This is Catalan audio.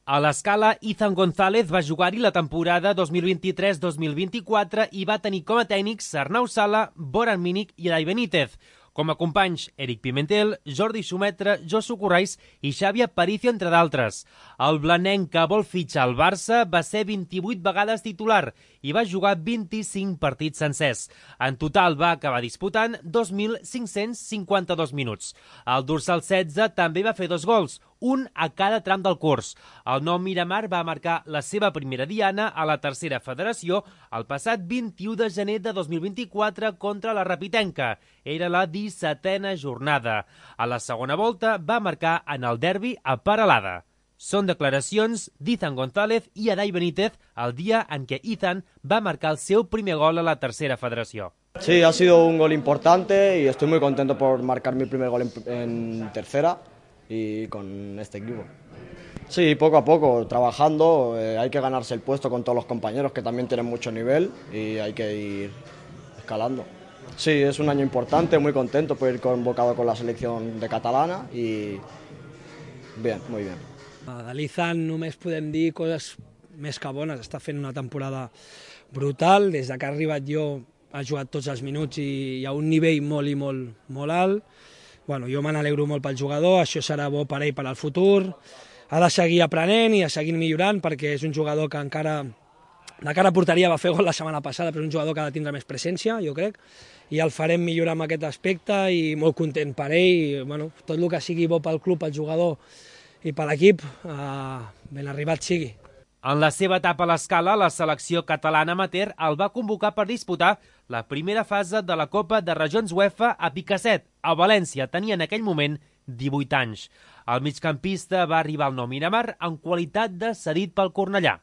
A l'Escala, Izan González va jugar-hi la temporada 2023-2024 i va tenir com a tècnics Arnau Sala, Boran Mínic i Elai Benítez. Com a companys, Eric Pimentel, Jordi Xumetra, Josu Corrais i Xavi Aparicio, entre d'altres. El blanenc que vol fitxar al Barça va ser 28 vegades titular i va jugar 25 partits sencers. En total va acabar disputant 2.552 minuts. El dorsal 16 també va fer 2 gols, un a cada tram del curs. El nou Miramar va marcar la seva primera diana a la tercera federació el passat 21 de gener de 2024 contra la Rapitenca. Era la 17a jornada. A la segona volta va marcar en el derbi a Peralada. Són declaracions d'Izan González i Elai Benítez el dia en què Izan va marcar el seu primer gol a la tercera federació. Sí, ha sido un gol importante y estoy muy contento por marcar mi primer gol en tercera y con este equipo. Sí, poco a poco, trabajando, hay que ganarse el puesto con todos los compañeros que también tienen mucho nivel y hay que ir escalando. Sí, es un año importante, muy contento por ir convocado con la selección de catalana y bien, muy bien. De l'Izan només podem dir coses més que bones. Està fent una temporada brutal. Des que ha arribat jo ha jugat tots els minuts i a un nivell molt alt. Bueno, jo me n'alegro molt pel jugador, això serà bo per ell per al futur. Ha de seguir aprenent i a seguir millorant perquè és un jugador que encara de cara a porteria va fer gol la setmana passada, però és un jugador que ha de tindre més presència, jo crec, i el farem millorar en aquest aspecte i molt content per ell. I, bueno, tot el que sigui bo pel club, pel jugador i per l'equip, ben arribat sigui. En la seva etapa a l'Escala, la selecció catalana amateur el va convocar per disputar la primera fase de la Copa de Regions UEFA a Picassent, a València. Tenia en aquell moment 18 anys. El migcampista va arribar al nou Miramar en qualitat de cedit pel Cornellà.